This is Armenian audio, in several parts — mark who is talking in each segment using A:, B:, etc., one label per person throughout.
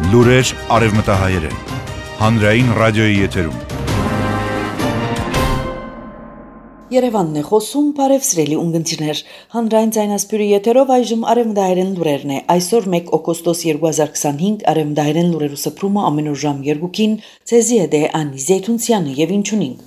A: Լուրեր արևմտահայերեն, հանրային ռադիոյի եթերում։
B: Երևանն է խոսում, բարև սիրելի ունգընտիրներ, հանրային ձայնասպյուրի եթերով այժմ արևմտահայերեն լուրերն է, այսօր 1 օգոստոս 2025 արևմտահայերեն լուրերու սփռումը ամենուր ժամ 2-ին, ցեզի հետ է Անի Զեյթունցյանը եւ ինչունին։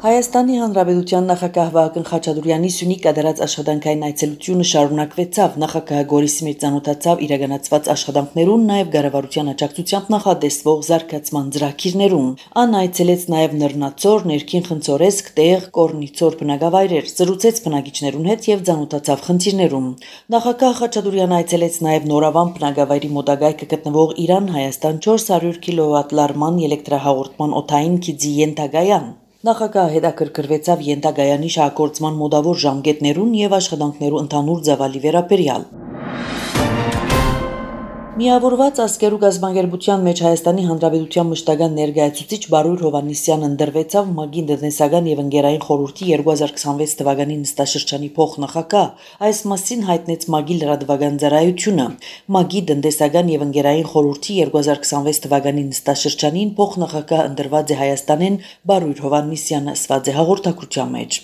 B: Հայաստանի Հանրապետության նախագահ Վահագն Խաչատուրեանի Սյունիք կատարած աշխատանքային այցելությունը շարունակվեցավ, նախագահը Գորիսի մեջ ծանոթացավ իրականացված աշխատանքներուն, նաև կառավարության աջակցությամբ նախադեсվող զարգացման ծրագիրներուն։ Ան այցելեց նաև Նռնացոր, Ներքին Խնձորեսկ, Տեղ, Կորնիցոր բնակավայրեր, զրուցեց բնակիչներուն հետ եւ ծանոթացավ խնդիրներուն։ Նախագահ Խաչատուրեանը այցելեց նաև Նորավան բնակավայրի մոտակայքը գտնվող Իրան-Հայաստան 400 կՎտ լարման էլեկտրահաղորդման օդային քիծի ենթակայան։ Նախագահը հետաքրքրվեցավ ենթակայանի շահագործման մոտավոր ժամկետներուն եւ աշխատանքներու ընդհանուր ծավալի վերաբերյալ։ Միավորված ազգերու գազམ་ագերբության մեջ Հայաստանի Հանրապետության մշտական ներկայացուցիչ Բարույր Հովհաննիսյանը ընդրվեցավ ՄԱԳ-ի տնտեսական եւ ընկերային խորհրդի 2026 թվականի նստաշրջանի փոխնախագահ, այս մասին հայտնեց ՄԱԳ-ի լրատվական ծառայությունը։ ՄԱԳ-ի տնտեսական եւ ընկերային խորհրդի 2026 թվականի նստաշրջանին փոխնախագահ ընդրված է Հայաստանեն Բարույր Հովհաննիսյանը, ասված է հաղորդակցության մեջ։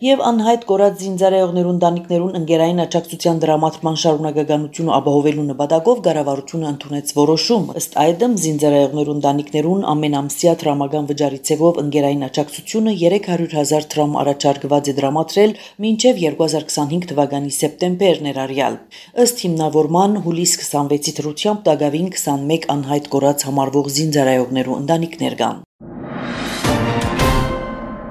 B: Եվ անհայտ կորած զինծառայողներուն տանիքներուն ընկերային աջակցության դրամատման շարունակականությունը ապահովելու նպատակով կառավարությունը ընդունեց որոշում, ըստ այդմ զինծառայողներուն տանիքներուն ամենամսյա դրամական վճարի ցևով ընկերային աջակցությունը 300,000 դրամ առաջարկված է դրամատրել մինչև 2025 թվականի սեպտեմբեր ներառյալ։ Ըստ հիմնավորման հուլիս 26-ի դրությամբ տագավին 21 անհայտ կորած համարվող զինծառայողներու ընտանիքներ կան։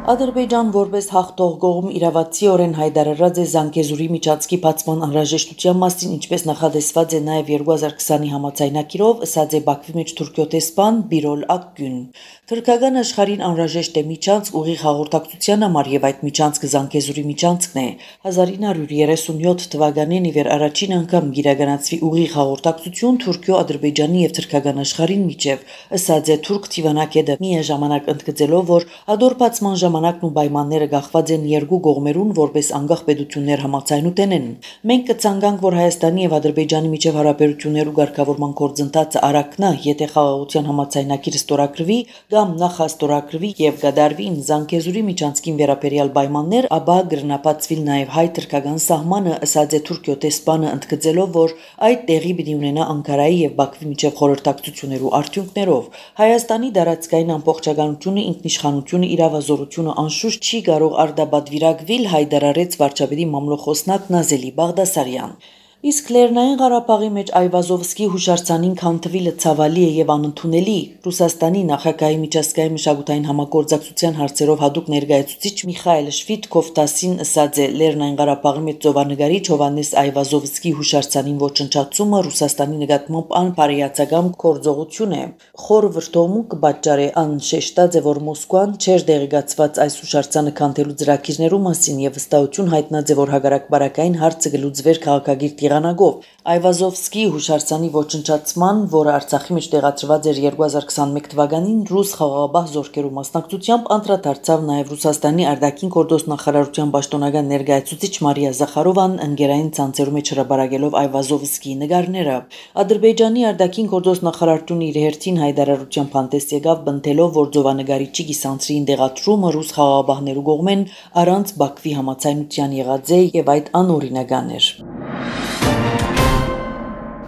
B: Ադրբեջան որպես հաղթող կողմ իրավացիորեն հայտարարած է Զանգեզուրի միջանցքի բացման անհրաժեշտության մասին, ինչպես նախադեсված է նաև 2020-ի համաձայնագիրով, ասած է Բաքվի մեջ Թուրքիո տեսփան Բիրոլ Ակգուն։ Թուրքական աշխարհին անհրաժեշտ է միջանցք ուղիղ հաղորդակցության համար եւ այդ միջանցքը Զանգեզուրի միջանցքն է։ 1937 թվականին իվեր առաջին անգամ իրականացվի ուղիղ հաղորդակցություն Թուրքիո, Ադրբեջանի եւ Թուրքական աշխարհին միջև, ասած է թուրք թիվանակետը միաժամանակ ընդգծելով, որ ադոր բացման ժամանակն ու պայմանները գաղված են երկու կողմերուն որպես անկախ պետություններ համաձայնութեն։ Մենք կցանկանք, որ Հայաստանի եւ Ադրբեջանի միջև հարաբերություններու ղեկավարման գործընթացը արագնա, եթե խաղաղության համաձայնագիրը ստորագրվի կամ նախաստորագրվի եւ կդարվին Զանգեզուրի միջանցքին վերաբերյալ պայմաններ, ապա կգրնապատվի նաեւ հայ-թուրքական սահմանը, ասած է Թուրքիո տեսփանը ընդգծելով, որ այդ տեղի պիտի ունենա Անկարայի եւ Բաքվի միջև խորհրդակցություններու արդյունքներով։ Հայաստանի դարածքային ամբողջականությունը, ինքնիշխանությունը, իրավազորությունը անշուշտ չի կարող արդաբադվիրակվել, հայտարարեց վարչապետի մամլոխոսնակ Նազելի Բաղդասարյան։ Իսկ Լեռնային Ղարաբաղի մեջ Այվազովսկի հուշարձանին քանդվելը ցավալի է եւ անընդունելի։ Ռուսաստանի նախագահի միջազգային մշակութային համագործակցության հարցերով հատուկ ներկայացուցիչ Միխայել Շվիդկով-Տասին ասած է Լեռնային Ղարաբաղի մեջ ծովանագարիչ Հովհաննես Այվազովսկի հուշարձանին ոչնչացումը Ռուսաստանի նկատմամբ անպարեացական գործողություն է։ Խոր վրդովմունք կպատճառի անշեշտած է, որ Մոսկվան չէր դեղեկացված այս հուշարձանը քանդելու ծրագիրներու մասին եւ վստահություն հայտնած է, որ հակառակբարակային հարցը կլուծվեր քաղաքագիր Այվազովսկի հուշարձանի ոչնչացման, որը Արցախի մեջ տեղադրված էր 2021 թվականին ռուս խաղաղապահ զորքերու մասնակցությամբ, անդրադարձավ նաև Ռուսաստանի արտաքին գործ նախարարության պաշտոնական ներկայացուցիչ Մարիա Զախարովան ընկերային ցանցերու մեջ հրապարակելով Այվազովսկի նկարները։ Ադրբեջանի արտաքին գործ նախարարությունը իր հերթին հայտարարությամբ հանդես եկավ, բնթելով, որ ծովանագարիչի գիսանցրին դեղատրումը ռուս խաղաղապահներու կողմեն առանց Բաքվի համաձայնության եղած է եւ այդ անօրինական էր։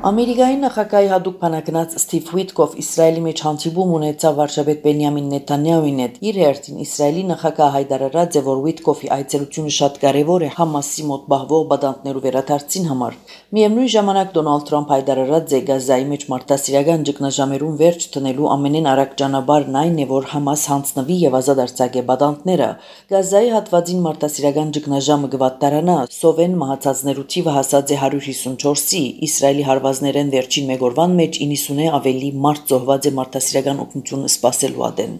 B: Ամերիկայի նախագահի հատուկ բանակնած Սթիվ Ուիթկոֆ Իսրայելի մեջ հանդիպում ունեցավ վարչապետ Բենյամին Նեթանյահուին հետ։ Իր հերթին Իսրայելի նախագահը հայտարարած է, որ Ուիթկոֆի այցելությունը շատ կարևոր է Համասի մոտ բահվող բադանտներու վերադարձին համար։ Միևնույն ժամանակ Դոնալդ Թրամփ հայտարարած է Գազայի մեջ մարտահրավերական ճգնաժամերուն վերջ տնելու ամենեն արագ ճանապարհն այն է, որ Համաս հանձնվի եւ ազատ արձակե բադանտները։ Գազայի հատվածին մարտահրավերական ճգնաժամը կվատտարանա, սովեն մահացածներու թիվը հասած է 154-ի, Իսրայելի հարվածներեն վերջին մեկ օրվան մեջ 90-ը ավելի մարդ զոհված է մարտահրավերական օգնություն սպասելու ադեն։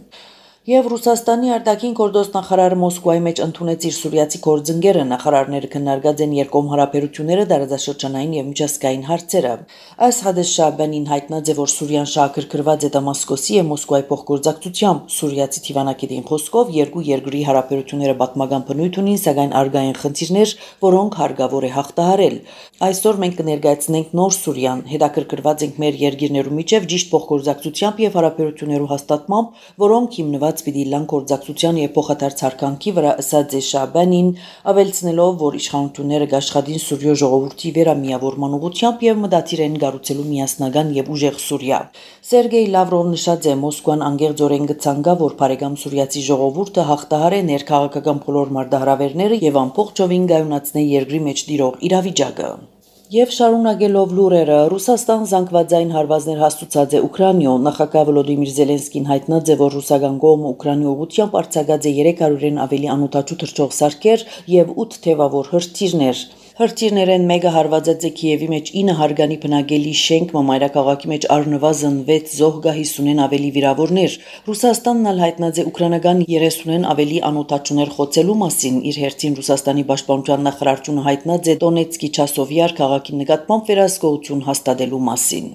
B: Եվ Ռուսաստանի արտաքին գործոստ նախարարը Մոսկվայի մեջ ընդունեց իր սուրիացի գործընկերը, նախարարները քննարկած են երկկողմ հարաբերությունները, դարաշրջանային եւ միջազգային հարցերը։ Այս Հադես Շաբանին հայտնած է, որ Սուրիան շահագրգռված է Դամասկոսի եւ Մոսկվայի փոխգործակցությամբ։ Սուրիացի թիվանակետին խոսքով երկու երկրի հարաբերությունները պատմական բնույթ ունին, սակայն արգային խնդիրներ, որոնք հարկավոր է հաղթահարել։ Այսօր մենք կներկայացնենք նոր Սուրիան, հետաքրքրված ենք մեր երկիրներու միջև ճիշտ փոխգործակցությամբ եւ հարաբերություններու հաստատմամբ, որոնք հիմնված պիտի լան գործակցության եւ փոխադարձ հարկանքի վրա, ըսած է Շաբանին, ավելցնելով, որ իշխանությունները գաշխատին Սուրիո ժողովրդի վերամիավորման ուղղությամբ եւ մտադիր են կառուցելու միասնական եւ ուժեղ Սուրիա։ Սերգեյ Լավրովն նշած է, Մոսկվան անգեղձորեն կցանկա, որ բարեկամ սուրիացի ժողովուրդը հաղթահարե ներքաղաքական բոլոր մարտահրավերները եւ ամբողջովին կայունացնե երկրի մեջ տիրող իրավիճակը։ Եվ շարունակելով լուրերը, Ռուսաստան զանգվածային հարվածներ հաստուցած է Ուկրաինո, նախագահ Վոլոդիմիր Զելենսկին հայտնած է, որ ռուսական կողմը Ուկրաինի ուղղությամբ արձակած է 300-ին ավելի անօթաչու թռչող սարքեր եւ 8 թևավոր հրթիռներ։ Հրթիռներեն մեկը հարվածած է Կիևի մեջ 9 հարգանի բնակելի շենք, մայրաքաղաքի մեջ առնվազն 6 զոհ, 50-ին ավելի վիրավորներ։ Ռուսաստանն ալ հայտնած է ուկրաինական 30-ին ավելի անօթաչուներ խոցելու մասին։ Իր հերթին Ռուսաստանի պաշտպանության նախարարությունը հայտնած է Դոնեցկի Չասովյար քաղաքի նկատմամբ վերահսկողություն հաստատելու մասին։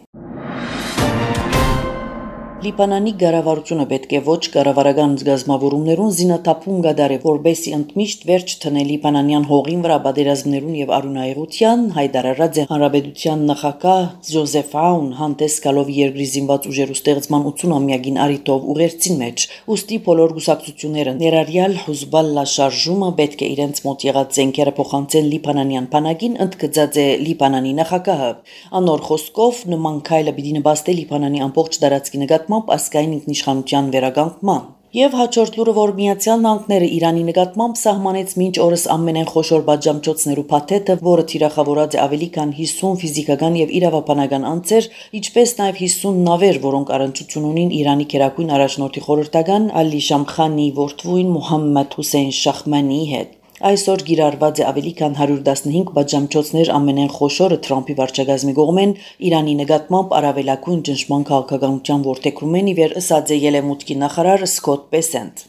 B: Լիբանանի կառավարությունը պետք է ոչ կառավարական զգազմավորումներուն զինաթափում կդարի, որբեսի ընդմիշտ վերջ տնե լիբանանյան հողին վրա պատերազմներուն եւ արյունահեղության, հայտարարած է հանրապետության նախագահ Ջոզեֆ Աուն հանդես գալով երկրի զինված ուժերու ստեղծման 80-ամյակին արիտով ուղերձին մեջ։ Ուստի բոլոր գուսակցությունները, ներառյալ Հուզբալլա շարժումը, պետք է իրենց մոտ եղած զենքերը փոխանցեն լիբանանյան բանակին, ընդգծած է Լիբանանի նախագահը։ Անոր խոսքով նման քայլը պիտի նպաստի Լիբանանի ամբողջ տարածքի նկատմամբ ազգային ինքնիշխանության վերականգնման։ Եվ հաջորդ լուրը, որ Միացյալ Նահանգները Իրանի նկատմամբ սահմանեց մինչ օրս ամենեն խոշոր պատժամիջոցներու փաթեթը, որը թիրախավորած է ավելի քան 50 ֆիզիկական եւ իրավաբանական անձեր, ինչպես նաեւ 50 նավեր, որոնք առնչություն ունին Իրանի գերագույն առաջնորդի խորհրդական Ալի Շամխանի որդվույն Մոհամմեդ Հուսեյն Շախմանիի հետ։ Այսօր գիրառված է ավելի քան 115 պատժամիջոցներ, ամենեն խոշորը Թրամփի վարչակազմի կողմեն Իրանի նկատմամբ առավելագույն ճնշման քաղաքականության որդեգրում են իվեր, ըսած է Ելեմուտքի նախարար Սկոտ Բեսենտ։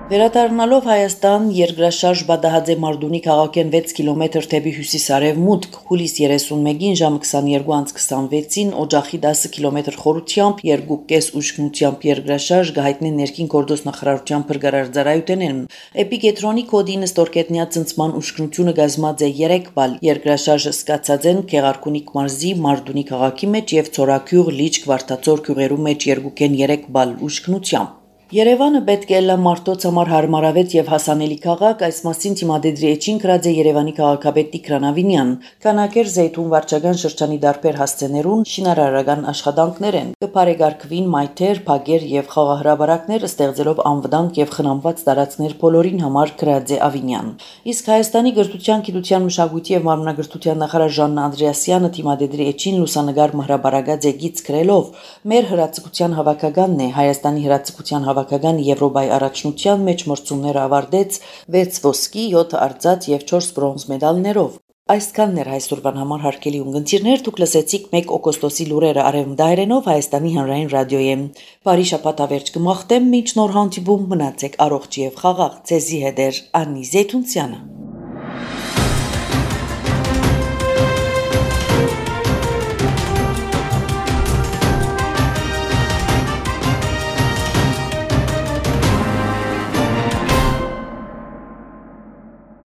B: Վերադառնալով Հայաստան, երկրաշարժ պատահած է Մարդունի քաղաքեն 6 կիլոմետր թեպի հյուսիս-արևմուտք, հուլիս 31-ին ժամը 22:26-ին օջախի 10 կիլոմետր խորությամբ 2,5 ուժգնությամբ երկրաշարժ կհայտնի ներքին գործոս նախարարության փրկարար ծառայությունեն։ Էպիկենտրոնի կոդի նստորկետնյա ցնցման ուժգնությունը կազմած է 3 բալ։ Երկրաշարժը սկացած են Գեղարքունիք մարզի Մարդունի քաղաքի մեջ եւ Ցորակյուղ, Լիճք, Վարդաձոր գյուղերու մեջ 2,3 բալ ուժգնությամբ։ Երևանը պետք է լա մարդոց համար հարմարավետ եւ հասանելի քաղաք, այս մասին թիմադեդրի էջին գրած է Երևանի քաղաքապետ Տիգրան Ավինյան։ Քանակեր Զեյթուն վարչական շրջանի դարբեր հասցեներուն շինարարական աշխատանքներ են։ Կփարեգարկվին մայթեր, փագեր եւ խաղահրաբարակներ, ստեղծելով անվտանգ եւ խնամված տարածքներ բոլորին համար, գրած է Ավինյան։ Իսկ Հայաստանի գրթության, գիտության, մշակույթի եւ մարմնագրթության նախարար Ժաննա Անդրեասյանը թիմադեդրի էջին լուսանգար մհրաբարագած է գից գրելով. «Մեր հրացակցության հավաքականն է Հայաստանի հրացակցության հավաքական Եվրոպայի առաջնության մեջ մրցումները ավարտեց 6 ոսկի, 7 արծաթ եւ 4 բրոնզ մեդալներով։ Այսքանն էր այսօրվան համար հարգելի ունգընտիրներ, դուք լսեցիք 1 օգոստոսի լուրերը արևմտահայերենով Հայաստանի հանրային ռադիոյեմ։ Բարի շաբաթ ավերջ կմաղթեմ, մինչ նոր հանդիպում մնացեք առողջ եւ խաղաղ։ Ձեզի հետ էր Անի Զեյթունցյանը։